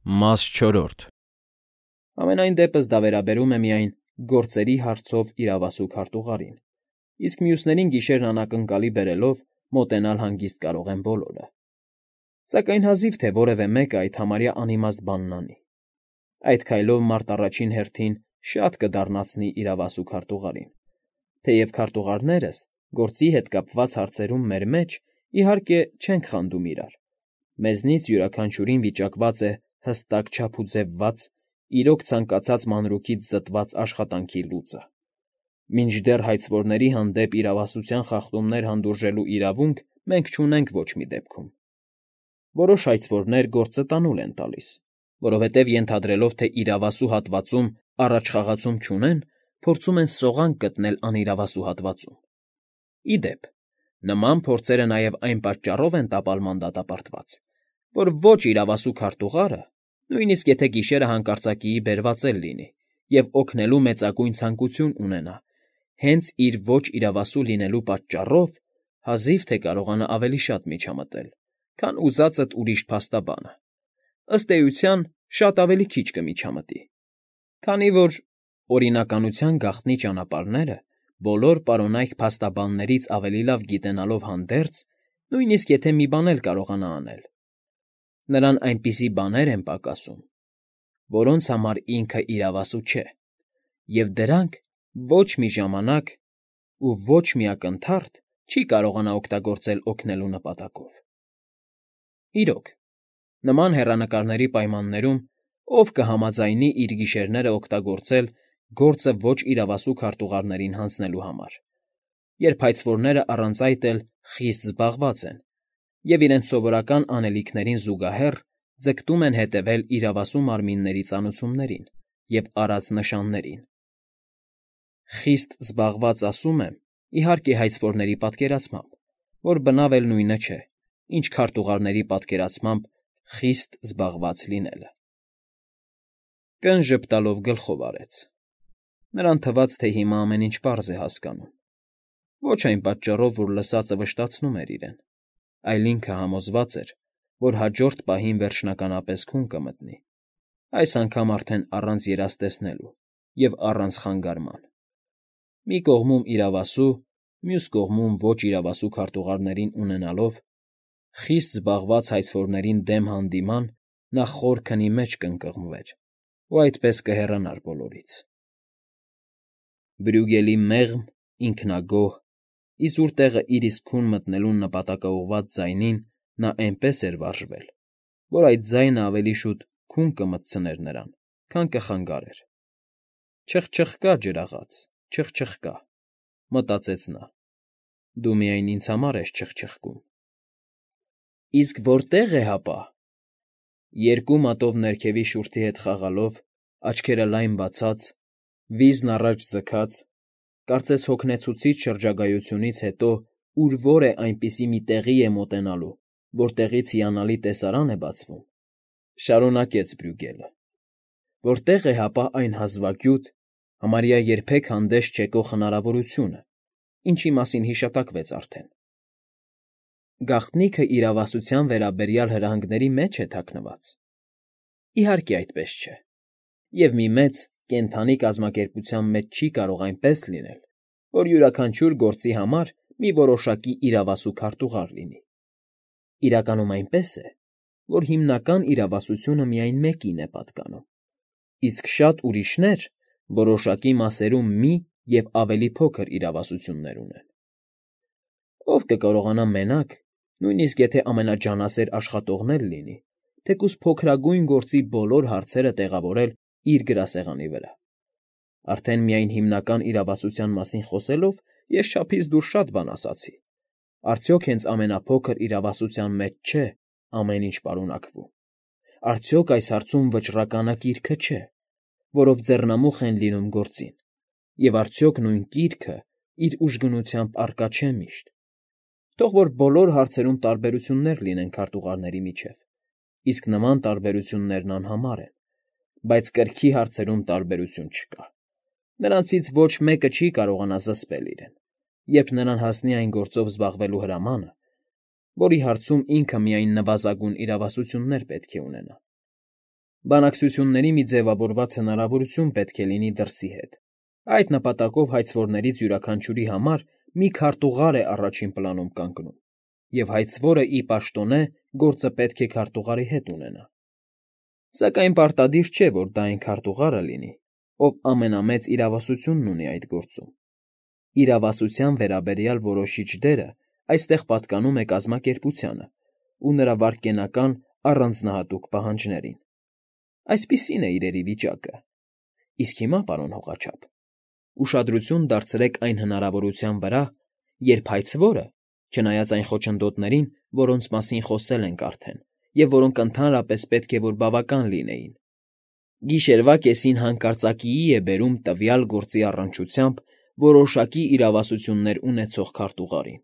Մաս 4 Ամենայն դեպս դա վերաբերում է միայն գործերի հարցով իրավասու քարտուղարին, իսկ մյուսներին գիշերն անակնկալի բերելով մոտենալ հանգիստ կարող են բոլորը։ Սակայն հազիվ թե որևէ մեկը այդ համարյա անիմաստ բանն անի։ Այդ քայլով մարդ առաջին հերթին շատ կդառնացնի իրավասու քարտուղարին, թեև քարտուղարներս գործի հետ կապված հարցերում մեր մեջ, իհարկե, չենք խանդում իրար։ Մեզնից յուրաքանչյուրին վիճակված է հստակ չափուձևված, իրոք ցանկացած մանրուքից զտված աշխատանքի լուծը։ Մինչդեռ հայցվորների հանդեպ իրավասության խախտումներ հանդուրժելու իրավունք մենք չունենք ոչ մի դեպքում։ Որոշ հայցվորներ գործը տանուլ են տալիս, որովհետև ենթադրելով, թե իրավասու հատվածում առաջխաղացում չունեն, փորձում են սողանք գտնել անիրավասու հատվածում։ Ի դեպ, նման փորձերը նաև այն պատճառով են տապալման դատապարտված, որ ոչ իրավասու քարտուղարը, նույնիսկ եթե գիշերը հանկարծակիի բերված էլ լինի և օգնելու մեծագույն ցանկություն ունենա, հենց իր ոչ իրավասու լինելու պատճառով հազիվ թե կարողանա ավելի շատ միջամտել, քան ուզածդ ուրիշ փաստաբանը, ըստ էության, շատ ավելի քիչ կմիջամտի, քանի որ օրինականության գաղտնի ճանապարհները բոլոր պարոնայք փաստաբաններից ավելի լավ գիտենալով հանդերձ, նույնիսկ եթե մի բան էլ կարողանա անել, նրան այնպիսի բաներ են պակասում, որոնց համար ինքը իրավասու չէ, և դրանք ոչ մի ժամանակ ու ոչ մի ակնթարթ չի կարողանա օգտագործել օգնելու նպատակով։ Իրոք, նման հեռանկարների պայմաններում ով կհամաձայնի իր գիշերները օգտագործել գործը ոչ իրավասու քարտուղարներին հանձնելու համար, երբ հայցվորները առանց այդ էլ խիստ զբաղված են և իրենց սովորական անելիքներին զուգահեռ ձգտում են հետևել իրավասու մարմինների ծանուցումներին և արած նշաններին։ Խիստ զբաղված ասում եմ, իհարկե, հայցվորների պատկերացմամբ, որ բնավ էլ նույնը չէ, ինչ քարտուղարների պատկերացմամբ խիստ զբաղված լինելը։ Կն ժպտալով գլխով արեց։ Նրան թվաց, թե հիմա ամեն ինչ պարզ է հասկանում։ Ոչ այն պատճառով, որ լսածը վշտացնում էր իրեն, այլ ինքը համոզված էր, որ հաջորդ պահին վերջնականապես քուն կմտնի, այս անգամ արդեն առանց երազ և առանց խանգարման։ Մի կողմում իրավասու, մյուս կողմում ոչ իրավասու քարտուղարներին ունենալով, խիստ զբաղված հայցվորներին դեմ հանդիման նա խոր քնի մեջ կընկղմվեր ու այդպես կհեռանար բոլորից։ Բրյուգելի մեղմ, ինքնագոհ, իզուր տեղը իր իսկ քուն մտնելուն նպատակաուղղված ձայնին նա այնպես էր վարժվել, որ այդ ձայնը ավելի շուտ քուն կմտցներ նրան, քան կխանգարեր։ «Չխչխկա, ջրաղաց, չխչխկա», մտածեց նա, դու միայն ինձ համար ես չխչխկում։ Իսկ որտե՞ղ է հապա։ Երկու մատով ներքևի շուրթի հետ խաղալով, աչքերը լայն բացած, վիզն առաջ ձգած, կարծես հոգնեցուցիչ շրջագայությունից հետո ուր֊որ է այնպիսի մի տեղի է մոտենալու, որտեղից հիանալի տեսարան է բացվում, շարունակեց Բրյուգելը։ Որտե՞ղ է հապա այն հազվագյուտ, համարյա երբեք հանդես չեկող հնարավորությունը, ինչի մասին հիշատակվեց արդեն։ Գաղտնիքը իրավասության վերաբերյալ հրահանգների մեջ է թաքնված։ Իհարկե այդպես չէ, և մի մեծ, կենդանի կազմակերպության մեջ չի կարող այնպես լինել, որ յուրաքանչյուր գործի համար մի որոշակի իրավասու քարտուղար լինի։ Իրականում այնպես է, որ հիմնական իրավասությունը միայն մեկին է պատկանում, իսկ շատ ուրիշներ որոշակի մասերում մի և ավելի փոքր իրավասություններ ունեն։ Ով կկարողանա մենակ, նույնիսկ եթե ամենաջանասեր աշխատողն էլ լինի, թեկուզ փոքրագույն գործի բոլոր հարցերը տեղավորել իր գրասեղանի վրա։ Արդեն միայն հիմնական իրավասության մասին խոսելով ես չափից դուրս շատ բան ասացի։ Արդյոք հենց ամենափոքր իրավասության մեջ չէ ամեն ինչ պարունակվում։ Արդյոք այս հարցում վճռականը կիրքը չէ, որով ձեռնամուխ են լինում գործին, և արդյոք նույն կիրքը իր ուժգնությամբ առկա չէ միշտ։ Թող որ բոլոր հարցերում տարբերություններ լինեն քարտուղարների միջև, իսկ նման տարբերություններն անհամար են, բայց կրքի հարցերում տարբերություն չկա։ Նրանցից ոչ մեկը չի կարողանա զսպել իրեն, երբ նրան հասնի այն գործով զբաղվելու հրամանը, որի հարցում ինքը միայն նվազագույն իրավասություններ պետք է ունենա։ Բանակցությունների մի ձևավորված հնարավորություն պետք է լինի դրսի հետ։ Այդ նպատակով հայցվորներից յուրաքանչյուրի համար մի քարտուղար է առաջին պլանում կանգնում, և հայցվորը ի պաշտոնե գործը պետք է քարտուղարի հետ ունենա։ Սակայն պարտադիր չէ, որ դա այն քարտուղարը լինի, ով ամենամեծ իրավասությունն ունի այդ գործում։ Իրավասության վերաբերյալ որոշիչ դերը այստեղ պատկանում է կազմակերպությանը ու նրա վայրկենական առանձնահատուկ պահանջներին։ Այսպիսին է իրերի վիճակը։ Իսկ հիմա, պարոն հողաչափ, ուշադրություն դարձրեք այն հնարավորության վրա, երբ հայցվորը, չնայած այն խոչընդոտներին, որոնց մասին խոսել ենք արդեն, և որոնք ընդհանրապես պետք է որ բավական լինեին, գիշերվա կեսին հանկարծակիի է բերում տվյալ գործի առնչությամբ որոշակի իրավասություններ ունեցող քարտուղարին։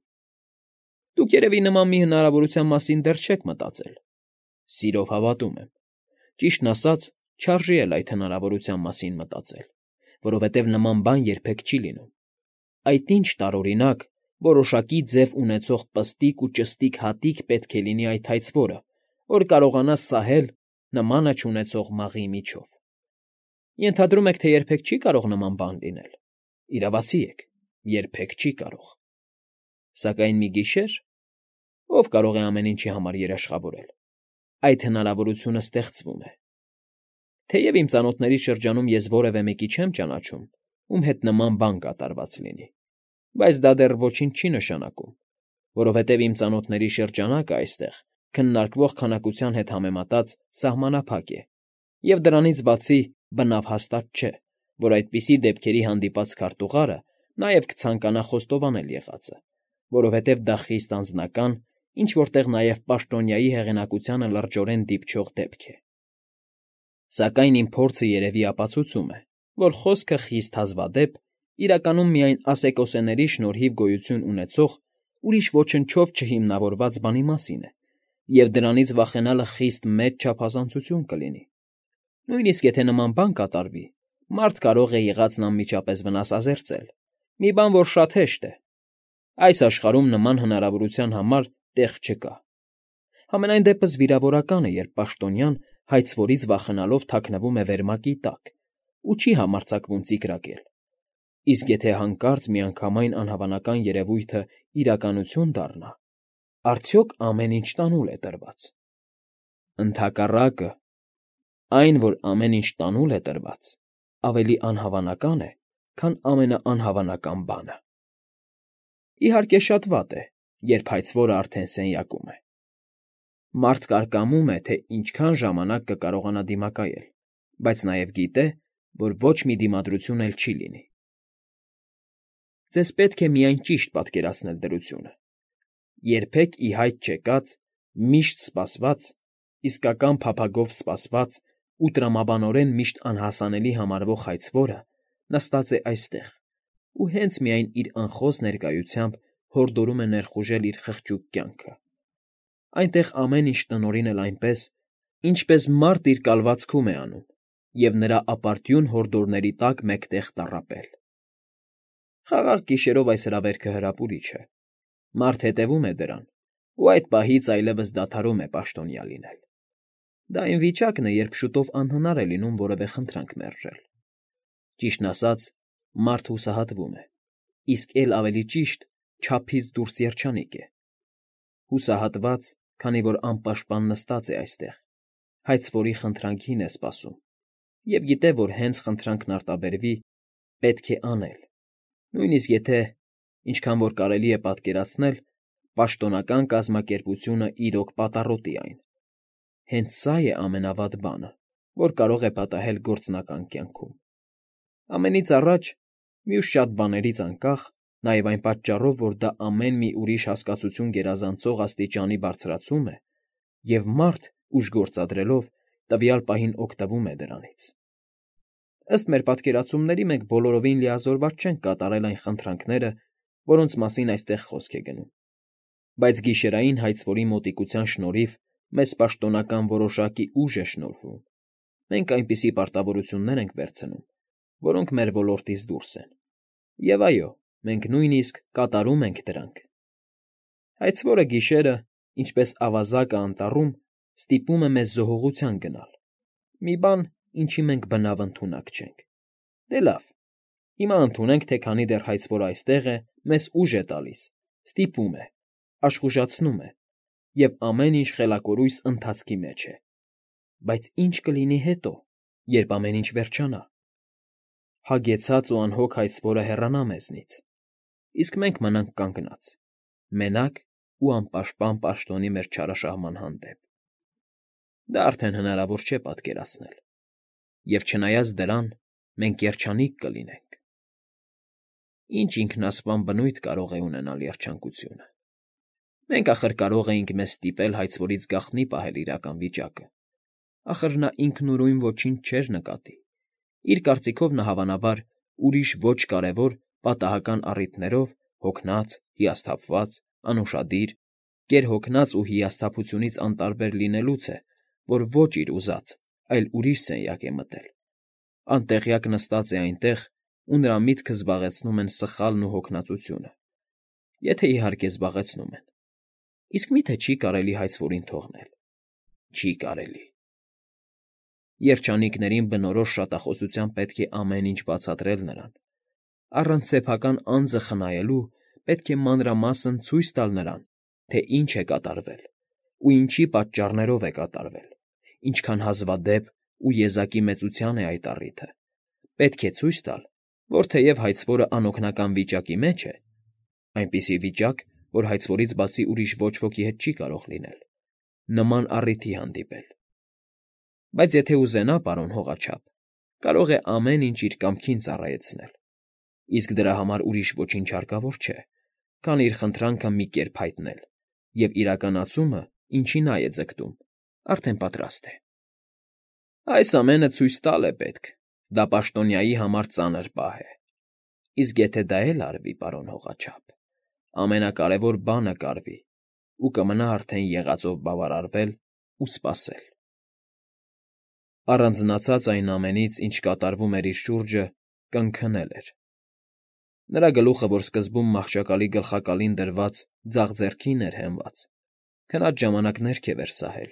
Դուք երևի նման մի հնարավորության մասին դեռ չեք մտածել։ Սիրով հավատում եմ։ Ճիշտն ասած, չարժի էլ այդ հնարավորության մասին մտածել, որովհետև նման բան երբեք չի լինում։ Այդ ինչ տարօրինակ, որոշակի ձև ունեցող պստիկ ու ճստիկ հատիկ պետք է լինի այդ հայցվորը, որ կարողանա սահել նմանը չունեցող մաղի միջով։ Ենթադրում եք, թե երբեք չի կարող նման բան լինել։ Իրավացի եք, երբեք չի կարող։ Սակայն մի գիշեր, ով կարող է ամեն ինչի համար երաշխավորել, այդ հնարավորությունը ստեղծվում է։ Թեև իմ ծանոթների շրջանում ես որևէ մեկի չեմ ճանաչում, ում հետ նման բան կատարված լինի, բայց դա դեռ ոչինչ չի նշանակում, որովհետև իմ ծանոթների շրջանակը այստեղ քննարկվող քանակության հետ համեմատած սահմանափակ է, և դրանից բացի բնավ հաստատ չէ, որ այդպիսի դեպքերի հանդիպած քարտուղարը նաև կցանկանա խոստովանել եղածը, որովհետև դա խիստ անձնական, ինչ֊որ տեղ նաև պաշտոնյայի հեղինակությանը լրջորեն դիպչող դեպք է։ Սակայն իմ փորձը երևի ապացուցում է, որ խոսքը խիստ հազվադեպ իրականում միայն ասեկոսեների շնորհիվ գոյություն ունեցող ուրիշ ոչնչով չհիմնավորված բանի մասին է, և դրանից վախենալը խիստ մեծ չափազանցություն կլինի։ Նույնիսկ եթե նման բան կատարվի, մարդ կարող է եղածն անմիջապես վնասազերծել, մի բան, որ շատ հեշտ է։ Այս աշխարհում նման հնարավորության համար տեղ չկա։ Համենայն դեպս վիրավորական է, երբ պաշտոնյան հայցվորից վախենալով թաքնվում է վերմակի տակ ու չի համարձակվում ծիկրակել։ Իսկ եթե հանկարծ միանգամայն անհավանական երևույթը իրականություն դառնա, արդյոք ամեն ինչ տանուլ է տրված։ Ընդհակառակը, այն, որ ամեն ինչ տանուլ է տրված, ավելի անհավանական է, քան ամենաանհավանական բանը։ Իհարկե, շատ վատ է, երբ հայցվորը արդեն սենյակում է։ Մարդ կարկամում է, թե ինչքան ժամանակ կկարողանա դիմակայել, բայց նաև գիտե, որ ոչ մի դիմադրություն էլ չի լինի։ Ձեզ պետք է միայն ճիշտ պատկերացնել դրությունը։ Երբեք ի հայտ չեկած, միշտ սպասված, իսկական փափագով սպասված ու տրամաբանորեն միշտ անհասանելի համարվող հայցվորը նստած է այստեղ ու հենց միայն իր անխոս ներկայությամբ հորդորում է ներխուժել իր խղճուկ կյանքը։ Այնտեղ ամեն ինչ տնօրինել այնպես, ինչպես մարդ իր կալվածքում է անում, և նրա ապարդյուն հորդորների տակ մեկտեղ տառապել։ Խաղաղ գիշերով այս հրավերքը հրապուրիչ է։ Մարդ հետևում է դրան, ու այդ պահից այլևս դադարում է պաշտոնյա լինել։ Դա այն վիճակն է, երբ շուտով անհնար է լինում որևէ խնդրանք մերժել։ Ճիշտն ասած, մարդ հուսահատվում է, իսկ էլ ավելի ճիշտ, չափից դուրս երջանիկ է։ Հուսահատված, քանի որ անպաշտպան նստած է այստեղ, հայցվորի խնդրանքին է սպասում, և գիտե, որ հենց խնդրանքն արտաբերվի, պետք է անել, նույնիսկ եթե, ինչքան որ կարելի է պատկերացնել, պաշտոնական կազմակերպությունը իրոք պատառոտի այն։ Հենց սա է ամենավատ բանը, որ կարող է պատահել գործնական կյանքում։ Ամենից առաջ, մյուս շատ բաներից անկախ, նաև այն պատճառով, որ դա ամեն մի ուրիշ հասկացություն գերազանցող աստիճանի բարձրացում է, և մարդ, ուժ գործադրելով, տվյալ պահին օգտվում է դրանից։ Ըստ մեր պատկերացումների մենք բոլորովին լիազորված չենք կատարել այն խնդրանքները, որոնց մասին այստեղ խոսք է գնում։ Բայց գիշերային հայցվորի մոտիկության շնորհիվ մեզ պաշտոնական որոշակի ուժ է շնորհվում։ Մենք այնպիսի պարտավորություններ ենք վերցնում, որոնք մեր ոլորտից դուրս են։ Եվ այո, մենք նույնիսկ կատարում ենք դրանք։ Հայցվորը գիշերը, ինչպես ավազակը անտառում, ստիպում է մեզ զոհողության գնալ։ Մի բան, ինչի մենք բնավ ընդունակ չենք։ Դե լավ, հիմա ընդունենք, թե քանի դեռ հայցվորը այստեղ է, մեզ ուժ է տալիս, ստիպում է, աշխուժացնում է, և ամեն ինչ խելակորույս ընթացքի մեջ է։ Բայց ինչ կլինի հետո, երբ ամեն ինչ վերջանա։ Հագեցած ու անհոգ հայցվորը հեռանա մեզնից, իսկ մենք մնանք կանգնած, մենակ ու անպաշտպան պաշտոնի մեր չարաշահման հանդեպ։ Դա արդեն հնարավոր չէ պատկերացնել, և չնայած դրան, մենք երջանիկ կլինենք։ Ինչ ինքնասպան բնույթ կարող է ունենալ երջանկությունը։ Մենք ախր կարող էինք մեզ ստիպել հայցվորից գաղտնի պահել իրական վիճակը։ Ախր նա ինքնուրույն ոչինչ չէր նկատի։ Իր կարծիքով նա հավանաբար ուրիշ ոչ կարևոր պատահական առիթներով հոգնած, հիասթափված, անուշադիր, գերհոգնած ու հիասթափությունից անտարբեր լինելուց է, որ ոչ իր ուզած, այլ ուրիշ սենյակ է մտել, անտեղյակ նստած է այնտեղ, ու նրա միտքը զբաղեցնում են սխալն ու հոգնածությունը, եթե իհարկե զբաղեցնում են։ Իսկ մի՞թե չի կարելի հայցվորին թողնել։ Չի կարելի։ Երջանիկներին բնորոշ շատախոսությամբ պետք է ամեն ինչ բացատրել նրան։ Առանց սեփական անձը խնայելու պետք է մանրամասն ցույց տալ նրան, թե ինչ է կատարվել ու ինչի պատճառներով է կատարվել, ինչքան հազվադեպ ու եզակի մեծության է այդ առիթը։ Պետք է ցույց տալ, որ թեև հայցվորը անօգնական վիճակի մեջ է, այնպիսի վիճակ, որ հայցվորից բացի ուրիշ ոչ ոքի հետ չի կարող լինել, նման առիթի հանդիպել։ Բայց եթե ուզենա, պարոն հողաչափ, կարող է ամեն ինչ իր կամքին ծառայեցնել, իսկ դրա համար ուրիշ ոչինչ հարկավոր չէ, քան իր խնդրանքը մի կերպ հայտնել, և իրականացումը, ինչի նա է ձգտում, արդեն պատրաստ է։ Այս ամենը ցույց տալ է պետք, դա պաշտոնյայի համար ծանր պահ է։ Իսկ եթե դա էլ արվի, պարոն հողաչափ, ամենակարևոր բանը կարվի, ու կմնա արդեն եղածով բավարարվել ու սպասել։ Առանձնացած այն ամենից, ինչ կատարվում էր իր շուրջը, կնքնել էր։ Նրա գլուխը, որ սկզբում մահճակալի գլխակալին դրված ձախ ձեռքին էր հենված, քնած ժամանակ ներքև էր սահել,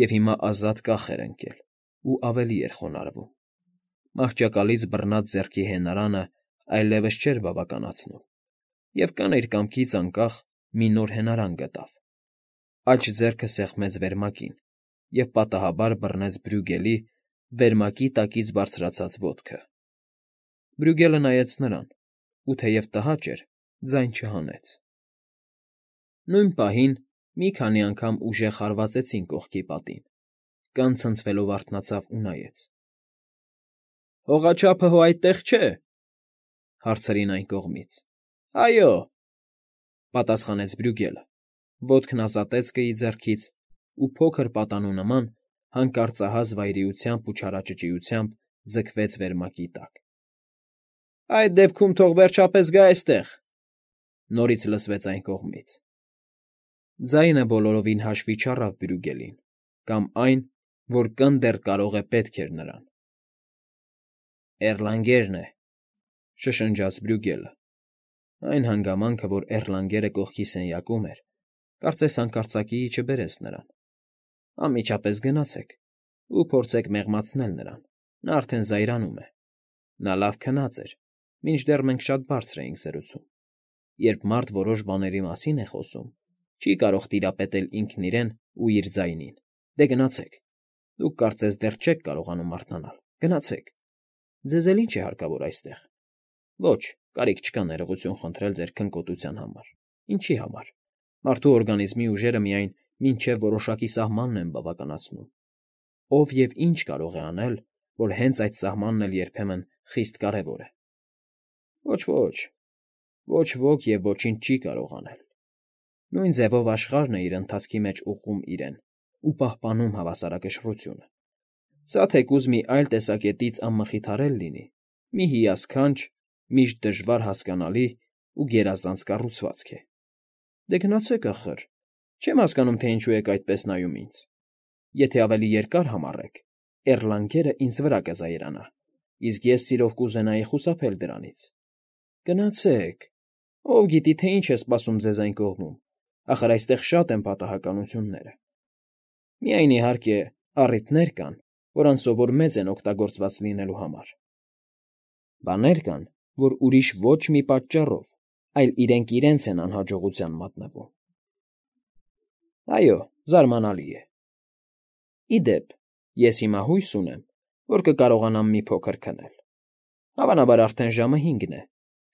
և հիմա ազատ կախ էր ընկել ու ավելի էր խոնարհվում։ Մահճակալից բռնած ձեռքի հենարանը այլևս չէր բավականացնում, և կան իր կամքից անկախ մի նոր հենարան գտավ։ Աջ ձեռքը սեղմեց վերմակին և պատահաբար բռնեց Բրյուգելի վերմակի տակից բարձրացած ոտքը։ Բրյուգելը նայեց նրան ու, թեև տհաճ էր, ձայն չհանեց։ Նույն պահին մի քանի անգամ ուժեղ հարվածեցին կողքի պատին, կան ցնցվելով արթնացավ ու նայեց։ ֊ Հողաչափը հո այդտեղ չէ,֊ հարցրին այն կողմից։ ֊ Այո,֊ պատասխանեց Բրյուգելը, ոտքն ազատեց կրի ձեռքից ու փոքր պատանու նման հանկարծահաս վայրիությամբ ու չարաճճիությամբ ձգվեց վերմակի տակ։ ֊ Այդ դեպքում թող վերջապես գա այստեղ,֊ նորից լսվեց այն կողմից։ Ձայնը բոլորովին հաշվի չառավ Բրյուգելին, կամ այն, որ կն դեռ կարող է պետք էր նրան։ Էռլանգերն է,֊ շշնջաց Բրյուգելը։ Այն հանգամանքը, որ Էռլանգերը կողքի սենյակում էր, կարծես հանկարծակիի չբերեց նրան։ Անմիջապես գնացեք ու փորձեք մեղմացնել նրան, նա արդեն զայրանում է։ Նա լավ քնած էր, մինչդեռ մենք շատ բարձր էինք զրուցում։ Երբ մարդ որոշ բաների մասին է խոսում, չի կարող տիրապետել ինքն իրեն ու իր ձայնին։ Դե գնացեք։ Դուք կարծես դեռ չեք կարողանում արթնանալ։ Գնացեք։ Ձեզ էլ ինչ է հարկավոր այստեղ։ Ոչ, կարիք չկա ներողություն խնդրել ձեր քնկոտության համար։ Ինչի համար։ Մարդու օրգանիզմի ուժերը միայն մինչև որոշակի սահմանն են բավականացնում։ Ով և ինչ կարող է անել, որ հենց այդ սահմանն էլ երբեմն խիստ կարևոր է։ Ոչ, ոչ ոք և ոչինչ չի կարող անել։ Նույն ձևով աշխարհն է իր ընթացքի մեջ ուղղում իրեն ու պահպանում հավասարակշռությունը։ Սա թեկուզ մի այլ տեսակետից անմխիթարել լինի, մի հիասքանչ, միշտ դժվար հասկանալի ու գերազանց կառուցվածք է։ Դե գնացեք ախր, չեմ հասկանում, թե ինչու եք այդպես նայում ինձ։ Եթե ավելի երկար համառեք, Էռլանգերը ինձ վրա կզայրանա, իսկ ես սիրով կուզենայի խուսափել դրանից։ Գնացեք, ով գիտի, թե ինչ է սպասում ձեզ այն կողմում, ախր այստեղ շատ են պատահականությունները։ Միայն, իհարկե, առիթներ կան, որ անսովոր մեծ են օգտագործված լինելու համար։ Բաներ կան, որ ուրիշ ոչ մի պատճառով, այլ իրենք իրենց են անհաջողության մատնվում։ Այո, զարմանալի է։ Ի դեպ, ես հիմա հույս ունեմ, որ կկարողանամ մի փոքր քնել։ Հավանաբար արդեն ժամը 5-ն է,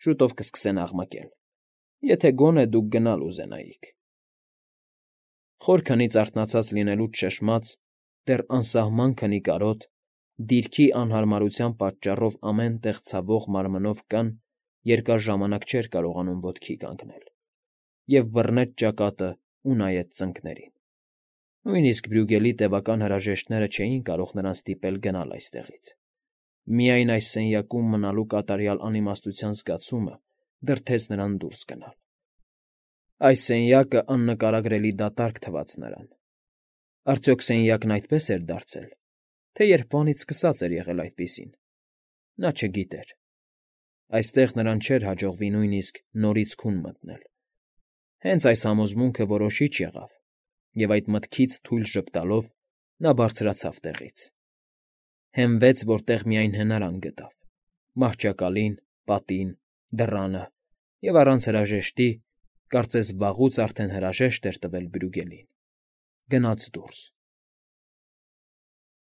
շուտով կսկսեն աղմկել, եթե գոնե դուք գնալ ուզենայիք։ Խոր քնից արթնացած լինելուց շշմած, դեռ անսահման քնի կարոտ, դիրքի անհարմարության պատճառով ամեն տեղ ցավող մարմնով կան, երկար ժամանակ չէր կարողանում ոտքի կանգնել, և բռնեց ճակատն ու նայեց ծնկներին։ Նույնիսկ Բրյուգելի տևական հրաժեշտները չէին կարող նրան ստիպել գնալ այստեղից։ Միայն այս սենյակում մնալու կատարյալ անիմաստության զգացումը դրդեց նրան դուրս գնալ։ Այս սենյակը աննկարագրելի դատարկ թվաց նրան։ Արդյոք սենյակն այդպես էր դարձել, թե երբվանից սկսած էր եղել այդպիսին։ Նա չգիտեր։ Այստեղ նրան չէր հաջողվի նույնիսկ նորից քուն մտնել։ Հենց այս համոզմունքը որոշիչ եղավ, և այդ մտքից թույլ ժպտալով նա բարձրացավ տեղից։ Հենվեց, որտեղ միայն հնարան գտավ՝ մահճակալին, պատին, դռանը և առանց հրաժեշտի, կարծես վաղուց արդեն հրաժեշտ էր տվել Բրյուգելին, գնաց դուրս։